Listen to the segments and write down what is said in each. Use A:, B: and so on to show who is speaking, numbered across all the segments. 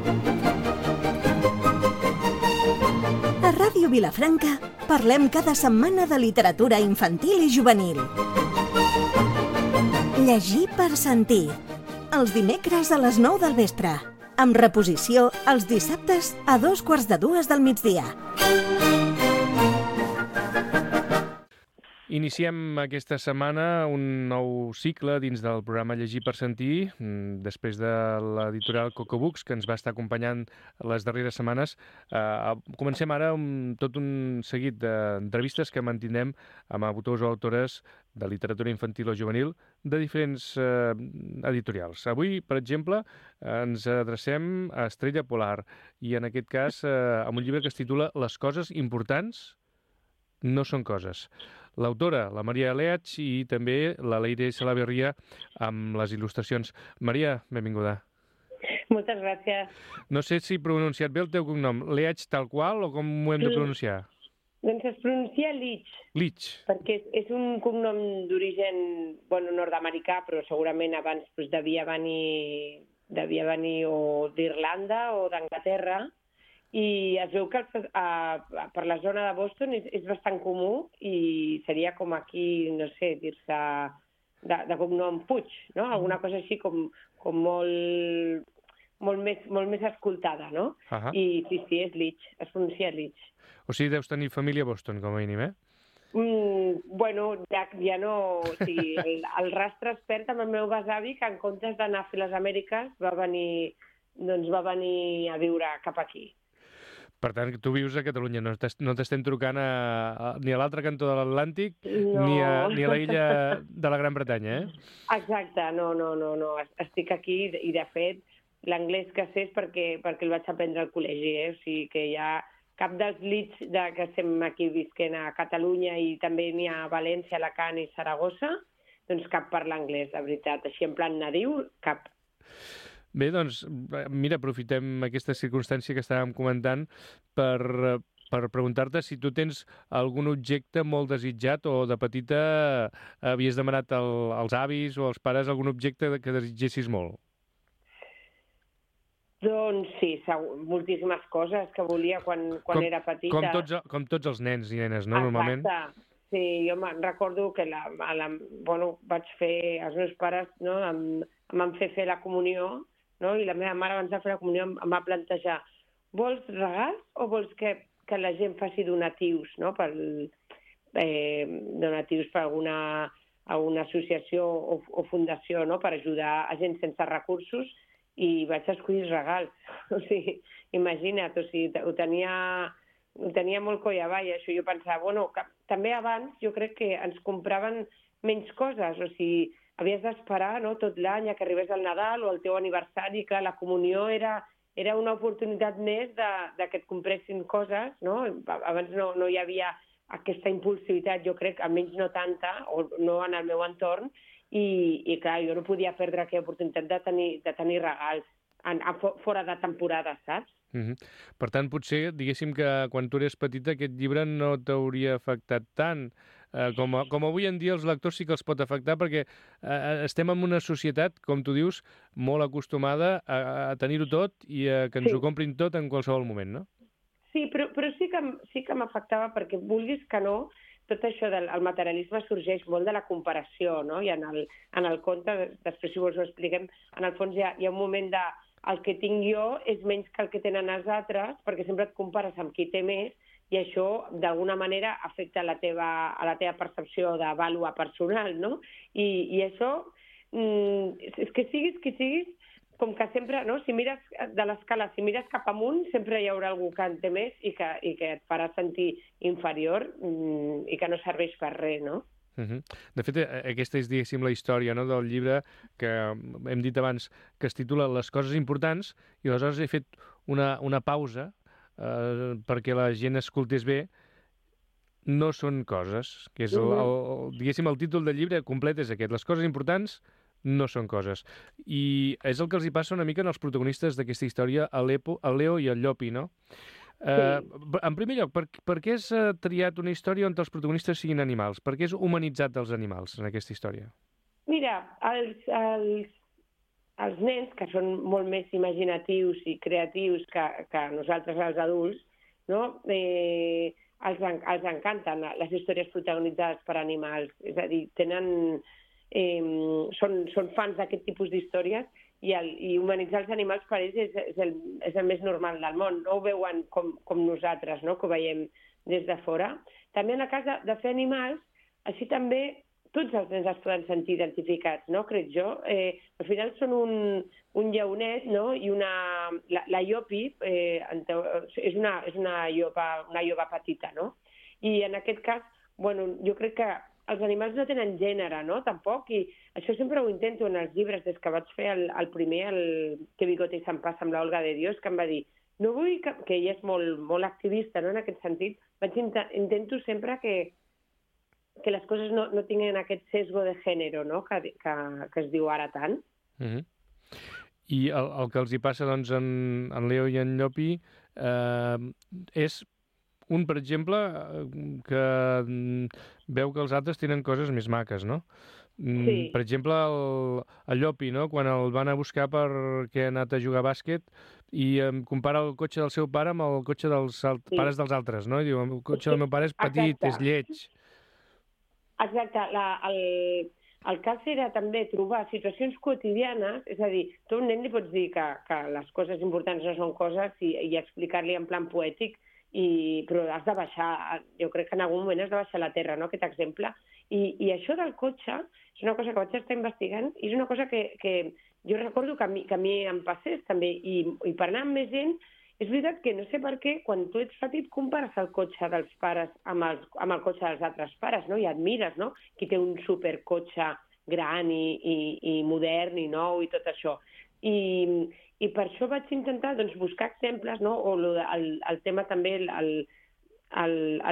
A: A Ràdio Vilafranca parlem cada setmana de literatura infantil i juvenil. Llegir per sentir. Els dimecres a les 9 del vespre. Amb reposició els dissabtes a 2:45 del migdia.
B: Iniciem aquesta setmana un nou cicle dins del programa Llegir per sentir, després de l'editorial Coco Books, que ens va estar acompanyant les darreres setmanes. Comencem ara tot un seguit d'entrevistes que mantindrem amb autors o autores de literatura infantil o juvenil de diferents editorials. Avui, per exemple, ens adrecem a Estrella Polar i, en aquest cas, amb un llibre que es titula Les coses importants no són coses. L'autora, la Maria Leach, i també la Leire Salaverria amb les il·lustracions. Maria, benvinguda.
C: Moltes gràcies.
B: No sé si he pronunciat bé el teu cognom. Leach tal qual o com ho hem de pronunciar?
C: Doncs es pronuncia Leach.
B: Leach.
C: Perquè és un cognom d'origen nord-americà, però segurament abans devia venir o d'Irlanda o d'Anglaterra. I es veu que per la zona de Boston és bastant comú i seria com aquí, no sé, dir-se de cognom Puig, no? Alguna cosa així com molt més escoltada, no? I sí, és Leach, es pronuncia Leach.
B: O sigui, deus tenir família a Boston, com a mínim, eh?
C: Ja no... O sigui, el rastre es perd amb el meu besavi, que en comptes d'anar a fer les Amèriques va venir a viure cap aquí.
B: Per tant, tu vius a Catalunya, no t'estem trucant ni a l'altre cantó de l'Atlàntic ni a la illa de la Gran Bretanya, eh?
C: Exacte, no. Estic aquí i, de fet, l'anglès que sé és perquè el vaig aprendre al col·legi, eh? O sigui que ja cap dels Leach que estem aquí visquent a Catalunya i també n'hi ha a València, Alacant i Saragossa, doncs cap parla anglès, de veritat. Així en plan nadiu, cap.
B: Bé, doncs, mira, aprofitem aquesta circumstància que estàvem comentant per preguntar-te si tu tens algun objecte molt desitjat o de petita havies demanat als avis o als pares algun objecte que desitgessis molt.
C: Doncs sí, moltíssimes coses que volia quan era petita.
B: Com tots els nens i nenes, no, normalment?
C: Exacte. Sí, jo me'n recordo que vaig fer, els meus pares em van fer la comunió, no? I la meva mare, abans de fer la comunió, em va plantejar: vols regals o vols que la gent faci donatius, no? Donatius per alguna associació o fundació, no? Per ajudar a gent sense recursos, i vaig escollir regals. O sigui, imagina't, ho tenia molt coll avall, això. Jo pensava, també abans jo crec que ens compraven menys coses, o sigui, havies d'esperar, no, tot l'any que arribés el Nadal o el teu aniversari, que la comunió era una oportunitat més de que et compressin coses, no? Abans no hi havia aquesta impulsivitat, jo crec, almenys no tanta, o no en el meu entorn, i clar, jo no podia perdre aquella oportunitat de tenir regals fora de temporada, saps?
B: Per tant, potser, diguéssim que quan tu eres petita aquest llibre no t'hauria afectat tant. Com avui en dia els lectors sí que els pot afectar, perquè estem en una societat, com tu dius, molt acostumada a tenir-ho tot i a que ens ho comprin tot en qualsevol moment, no?
C: Sí, però sí que m'afectava, perquè vulguis que no, tot això del materialisme sorgeix molt de la comparació, no? I en el conte, després si vols ho expliquem, en el fons hi ha un moment de el que tinc jo és menys que el que tenen els altres, perquè sempre et compares amb qui té més, i això, d'alguna manera, afecta a la teva percepció de vàlua personal, no? I això, és que siguis qui siguis, com que sempre, no? Si mires de l'escala, si mires cap amunt, sempre hi haurà algú que en té més i que et farà sentir inferior i que no serveix per res, no?
B: De fet, aquesta és, diguéssim, la història, no?, del llibre que hem dit abans, que es titula Les coses importants, i aleshores he fet una pausa perquè la gent escoltés bé. No són coses, que és, diguéssim, el títol del llibre complet és aquest: Les coses importants no són coses. I és el que els hi passa una mica en els protagonistes d'aquesta història, el Leo i el Llopi, no? En primer lloc, per què has triat una història on els protagonistes siguin animals? Per què has humanitzat els animals en aquesta història?
C: Mira, els nens, que són molt més imaginatius i creatius que nosaltres els adults, no? Els encanten les històries protagonitzades per animals. És a dir, són fans d'aquest tipus d'històries i humanitzar els animals per ells és el més normal del món. No ho veuen com nosaltres, no? Que ho veiem des de fora. També en el cas de fer animals, així també tots els nens es poden sentir identificats, no? Crec jo. Al final són un lleonet, no? I la Iopi és una llopa petita, no? I en aquest cas, bueno, jo crec que els animals no tenen gènere, no? Tampoc, i això sempre ho intento en els llibres, des que vaig fer el primer, el Que bigote se'n passa amb l'Olga de Dios, que em va dir, no vull que ella és molt activista, no? En aquest sentit, intento sempre que les coses no tinguin aquest sesgo de gènere, no? Que es diu ara tant.
B: I el que els hi passa doncs, en Leo i en Llopi és un, per exemple, que veu que els altres tenen coses més maques, no?
C: Sí.
B: Per exemple, el Llopi, no? Quan el van a buscar perquè ha anat a jugar a bàsquet i compara el cotxe del seu pare amb el cotxe dels pares dels altres, no? I diu, el cotxe del meu pare és petit, és lleig.
C: Exacte. El cas era també trobar situacions quotidianes, és a dir, tu a un nen li pots dir que les coses importants no són coses i explicar-li en plan poètic, però has de baixar, jo crec que en algun moment has de baixar a la terra, no?, aquest exemple. I això del cotxe és una cosa que vaig estar investigant i és una cosa que jo recordo que a mi em passés també, i per anar amb més gent, és veritat que no sé per què, quan tu ets petit compares el cotxe dels pares amb el cotxe dels altres pares, no? I admires, no?, qui té un supercotxe gran i modern i nou i tot això. I per això vaig intentar buscar exemples, no? O el tema també, el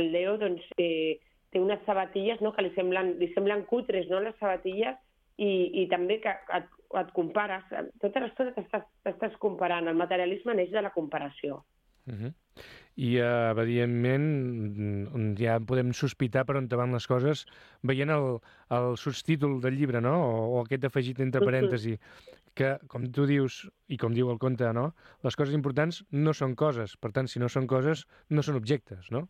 C: Leo té unes sabatilles, no?, que li semblen cutres, no?, les sabatilles, i també que et compares. Tota l'estona t'estàs comparant. El materialisme neix de la comparació.
B: I, evidentment, ja podem sospitar per on van les coses veient el subtítol del llibre, no?, o aquest afegit entre parèntesi, que, com tu dius, i com diu el conte, no?, les coses importants no són coses. Per tant, si no són coses, no són objectes, no?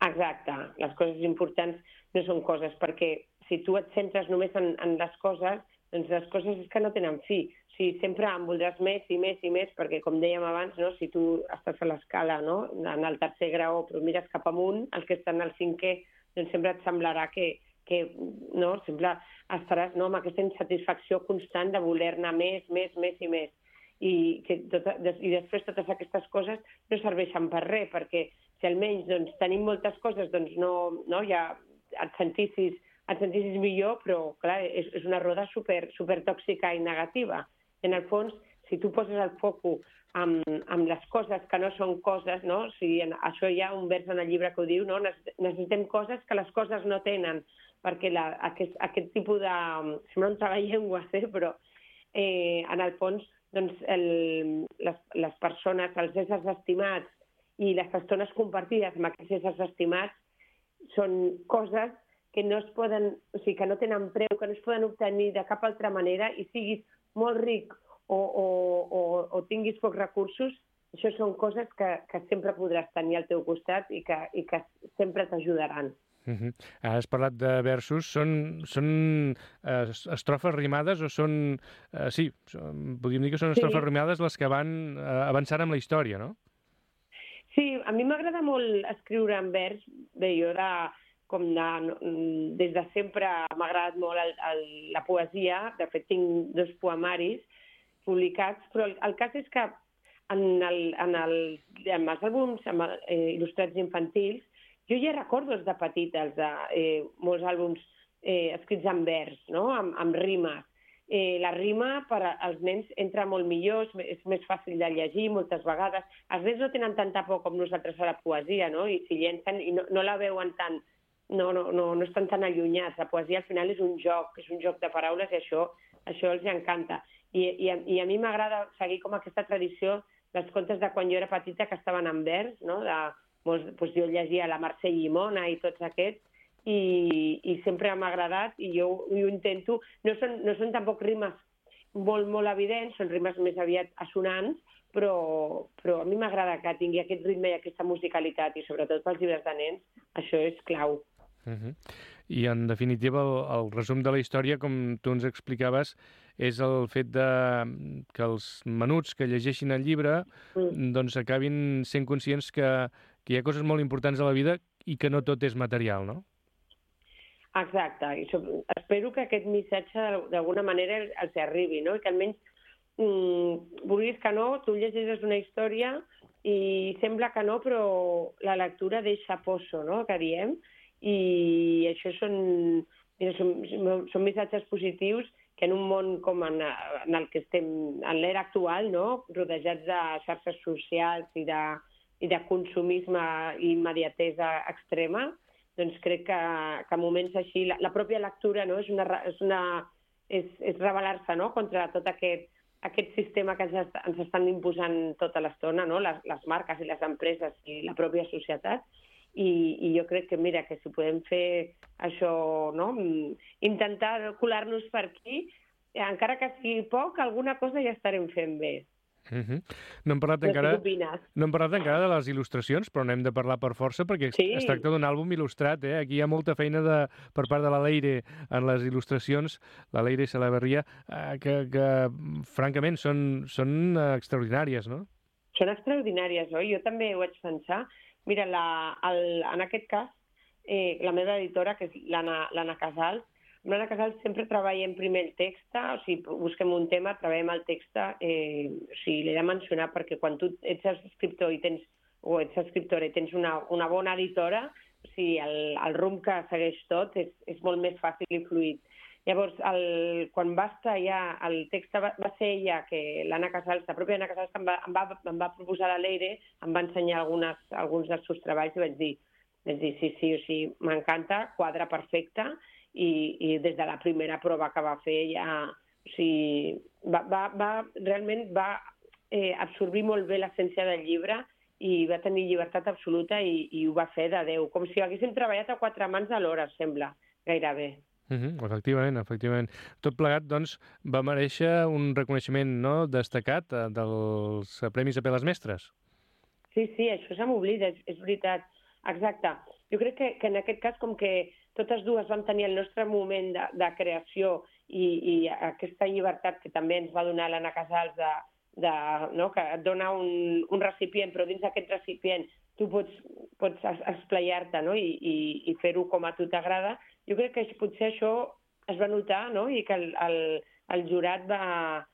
C: Exacte. Les coses importants no són coses, perquè si tu et centres només en les coses, doncs les coses és que no tenen fi. O sigui, sempre en voldràs més i més i més, perquè, com dèiem abans, no?, si tu estàs a l'escala, no?, en el tercer grau, però mires cap amunt, els que estan al cinquè, doncs sempre et semblarà que no, sempre estaràs, no?, amb aquesta insatisfacció constant de voler-ne més i més. I després totes aquestes coses no serveixen per res, perquè si almenys tenim moltes coses, doncs no ja et sentissis millor, però clar, és una roda super tòxica i negativa. En el fons, si tu poses el focus amb les coses que no són coses, no? O sigui, això hi ha un vers en el llibre que ho diu, no? Necessitem coses que les coses no tenen, perquè aquest tipus de... Sembla un treball-llengües, però en el fons, doncs, les persones, els éssers estimats i les estones compartides amb aquests éssers estimats són coses que no es poden, o sigui, que no tenen preu, que no es poden obtenir de cap altra manera, i siguis molt ric o tinguis pocs recursos, això són coses que sempre podràs tenir al teu costat i que sempre t'ajudaran.
B: Has parlat de versos. Són estrofes rimades o són... Sí, podríem dir que són estrofes rimades les que van avançant amb la història, no?
C: Sí, a mi m'agrada molt escriure en vers. Bé, jo des de sempre m'ha agradat molt la poesia. De fet, tinc 2 poemaris publicats, però el cas és que en els àlbums il·lustrats infantils, jo ja recordo de petita molts àlbums escrits en vers, no?, amb rimes. La rima per als nens entra molt millor, és més fàcil de llegir moltes vegades. Els nens no tenen tanta por com nosaltres a la poesia, no?, i s'hi llencen i no la veuen tant, no estan tan allunyats. La poesia al final és un joc de paraules, i això els encanta. I a mi m'agrada seguir com aquesta tradició dels contes de quan jo era petita que estaven en vers, no?, doncs jo llegia la Mercè Llimona i tots aquests, i sempre m'ha agradat, i jo ho intento. No són tampoc rimes molt, molt evidents, són rimes més aviat assonants, però a mi m'agrada que tingui aquest ritme i aquesta musicalitat, i sobretot pels llibres de nens, això és clau.
B: I, en definitiva, el resum de la història, com tu ens explicaves, és el fet que els menuts que llegeixin el llibre doncs acabin sent conscients que hi ha coses molt importants a la vida i que no tot és material, no?
C: Exacte. I espero que aquest missatge d'alguna manera els arribi, no? I que almenys, vulguis que no, tu llegeixes una història i sembla que no, però la lectura deixa poso, no?, que diem, i això són missatges positius que en un món com en el que estem, en l'era actual, no?, rodejats de xarxes socials i de consumisme i immediatesa extrema, doncs crec que moments així, la pròpia lectura, no?, és rebel·lar-se, no?, contra tot aquest sistema que ens estan imposant tota l'estona, no?, les marques i les empreses i la pròpia societat. I jo crec que, mira, que si podem fer això, no?, intentar colar-nos per aquí, encara que sigui poc, alguna cosa ja estarem fent bé.
B: No hem parlat encara de les il·lustracions, però n'hem de parlar per força, perquè es tracta d'un àlbum il·lustrat, eh? Aquí hi ha molta feina per part de la Leire en les il·lustracions, la Leire Salaverria, que francament són extraordinàries, no?
C: Són extraordinàries, oi? Jo també ho vaig pensar. Mira, en aquest cas, la meva editora, que és l'Anna Casals, amb l'Anna Casals sempre treballem primer el text, o sigui, busquem un tema, treballem el text, o sigui, l'he de mencionar perquè quan tu ets escriptor i ets escriptora i tens una bona editora, o sigui, el rumb que segueix tot és molt més fàcil i fluid. Llavors, quan va estar ja el text, va ser ella, que l'Anna Casals, la pròpia Anna Casals, em va proposar la Leire, em va ensenyar alguns dels seus treballs i vaig dir sí, o sigui, m'encanta, quadra perfecte, i des de la primera prova que va fer ja, o sigui, realment va absorbir molt bé l'essència del llibre i va tenir llibertat absoluta i ho va fer de Déu, com si haguéssim treballat a 4 mans alhora, sembla, gairebé.
B: Efectivament. Tot plegat, doncs, va mereixer un reconeixement, no?, destacat dels Premis Apel·les Mestres.
C: Sí, això se m'oblida, és veritat. Exacte. Jo crec que en aquest cas, com que totes dues vam tenir el nostre moment de creació i aquesta llibertat que també ens va donar l'Anna Casals, no?, que et dona un recipient, però dins d'aquest recipient tu pots esplaiar-te, no?, i fer-ho com a tu t'agrada. Jo crec que potser això es va notar, no?, i que el jurat va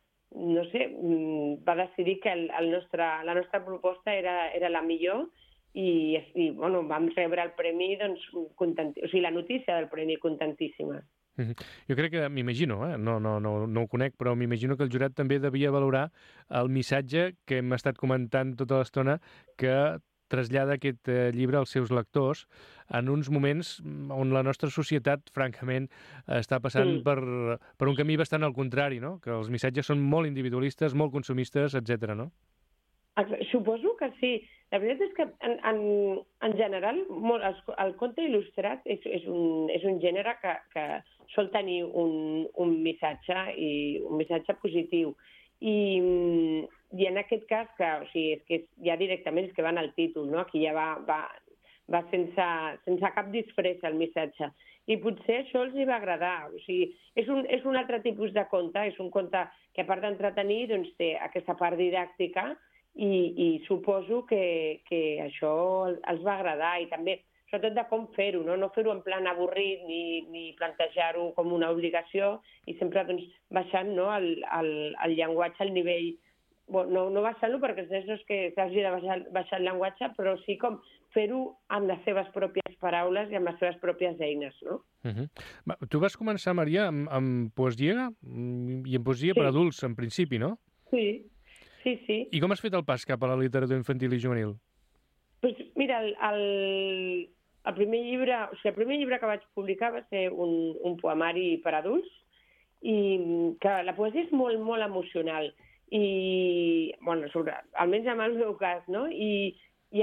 C: decidir que la nostra proposta era la millor i vam rebre el premi, doncs, o sigui, la notícia del premi, contentíssimes.
B: Jo crec que, m'imagino, no ho conec, però m'imagino que el jurat també devia valorar el missatge que hem estat comentant tota l'estona, que trasllada aquest llibre als seus lectors en uns moments on la nostra societat, francament, està passant per un camí bastant al contrari, no?, que els missatges són molt individualistes, molt consumistes, etc., no?
C: Suposo que sí. La veritat és que, en general, el conte il·lustrat és un gènere que sol tenir un missatge i un missatge positiu. I en aquest cas, o sigui, és que ja directament és que va en el títol, no? Aquí ja va sense cap disfressa el missatge. I potser això els hi va agradar. O sigui, és un altre tipus de conte, és un conte que, a part d'entretenir, doncs té aquesta part didàctica i suposo que això els va agradar, i també, sobretot, de com fer-ho, no fer-ho en plan avorrit ni plantejar-ho com una obligació, i sempre, doncs, baixant, no, el llenguatge al nivell, no baixant-lo perquè no és que s'hagi de baixar el llenguatge, però sí com fer-ho amb les seves pròpies paraules i amb les seves pròpies eines, no?
B: Tu vas començar, Maria, amb poesia, i amb poesia per adults, en principi, no?
C: Sí.
B: I com has fet el pas cap a la literatura infantil i juvenil?
C: Doncs mira, el primer llibre que vaig publicar va ser un poemari per adults, i que la poesia és molt, molt emocional, i, almenys en el meu cas, no? I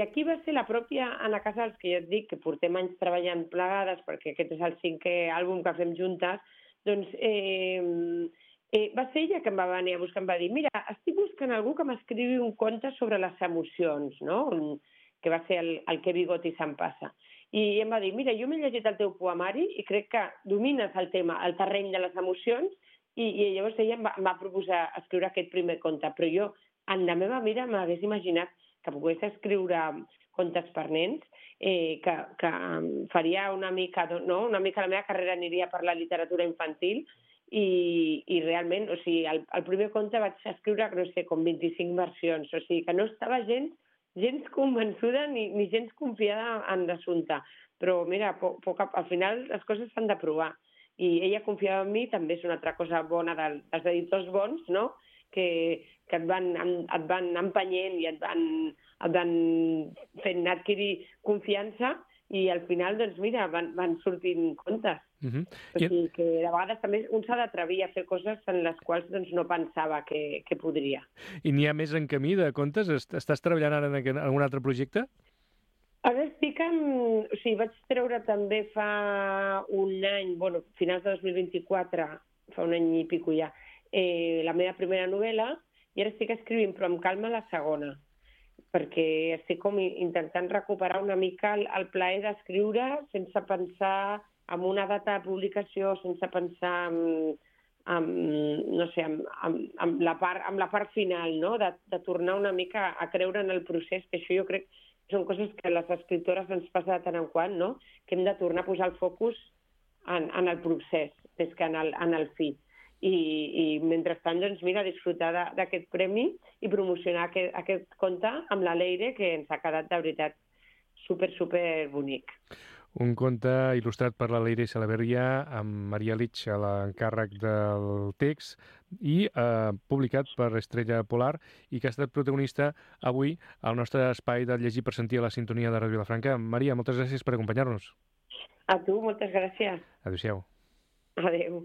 C: aquí va ser la pròpia Anna Casals, que ja et dic que portem anys treballant plegades, perquè aquest és el 5è àlbum que fem juntes, doncs Va ser ella que em va venir a buscar, em va dir, mira, estic buscant algú que m'escrivi un conte sobre les emocions, no? Que va ser el Que bigoti se'n passa. I em va dir, mira, jo m'he llegit el teu poemari i crec que domines el tema, el terreny de les emocions, i llavors ella em va proposar escriure aquest primer conte, però jo, en la meva vida, m'hagués imaginat que pogués escriure contes per nens, que faria una mica, no? Una mica la meva carrera aniria per la literatura infantil, i realment, o sigui, el primer conte vaig escriure, no sé, com 25 versions, o sigui, que no estava gens convençuda ni gens confiada en l'assumpte. Però, mira, al final les coses s'han de provar. I ella confiava en mi, també és una altra cosa bona dels editors bons, no? Que et van empenyent i et van fent adquirir confiança, i al final, doncs mira, van sortint contes. O sigui que de vegades també un s'ha d'atrevir a fer coses en les quals doncs, no pensava que podria.
B: I n'hi ha més en camí de contes? Estàs treballant ara en algun altre projecte?
C: Ara estic o sigui, vaig treure també fa un any, bueno, finals de 2024, fa un any i pico ja, la meva primera novel·la, i ara estic escrivint, però amb calma, la segona, perquè estic com intentant recuperar una mica el plaer d'escriure sense pensar en una data de publicació, sense pensar no sé, en la part final, no? De tornar una mica a creure en el procés, que això jo crec que són coses que a les escriptores ens passa de tant en quant, no? Que hem de tornar a posar el focus en el procés, més que en el fi. I mentrestant, doncs, mira, disfrutar d'aquest premi i promocionar aquest conte amb la Leire, que ens ha quedat, de veritat, super bonic.
B: Un conte il·lustrat per la Leire Salaverria, amb Maria Lich a l'encàrrec del text, i publicat per Estrella Polar, i que ha estat protagonista avui al nostre espai de Llegir per Sentir a la sintonia de Ràdio Vilafranca. Maria, moltes gràcies per acompanyar-nos.
C: A tu, moltes gràcies.
B: Adéu-siau.
C: Adéu.